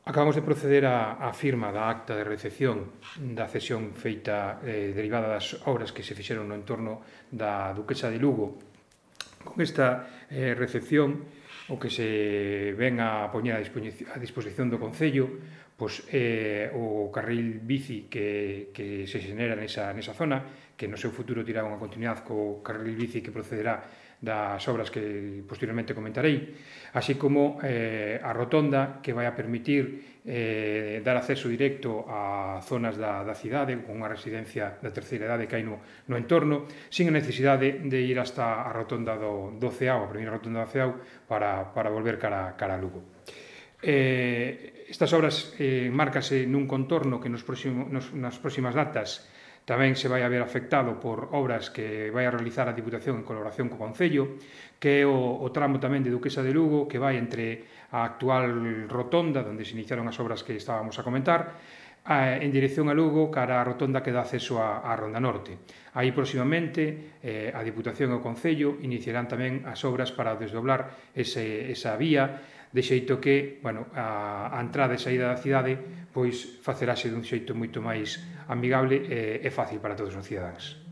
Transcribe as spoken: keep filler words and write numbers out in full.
Acabamos de proceder á, á firma da acta de recepción da cesión feita eh, derivada das obras que se fixeron no entorno da Duquesa de Lugo. Con esta eh, recepción, o que se ven a poñer a disposición, a disposición do Concello, pois, eh, o carril bici que, que se xenera nesa, nesa zona, que no seu futuro terá unha continuidade co carril bici que procederá das obras que posteriormente comentarei, así como eh, a rotonda que vai a permitir eh, dar acceso directo a zonas da, da cidade con unha residencia da terceira idade que hai no, no entorno, sin a necesidade de ir hasta a rotonda do, do Ceao, a primeira rotonda do Ceao, para, para volver cara, cara a Lugo. Eh, estas obras eh, márcase nun contorno que nos próximo, nos, nas próximas datas tamén se vai a ver afectado por obras que vai a realizar a Diputación en colaboración co Concello, que é o, o tramo tamén de Duquesa de Lugo, que vai entre a actual rotonda, onde se iniciaron as obras que estábamos a comentar, en dirección a Lugo, cara a rotonda que dá acceso á, á Ronda Norte. Aí, próximamente, eh, a Diputación e o Concello iniciarán tamén as obras para desdoblar ese, esa vía, de xeito que, bueno, a, a entrada e saída da cidade pois facerase dun xeito moito máis amigable e, e fácil para todos os cidadáns.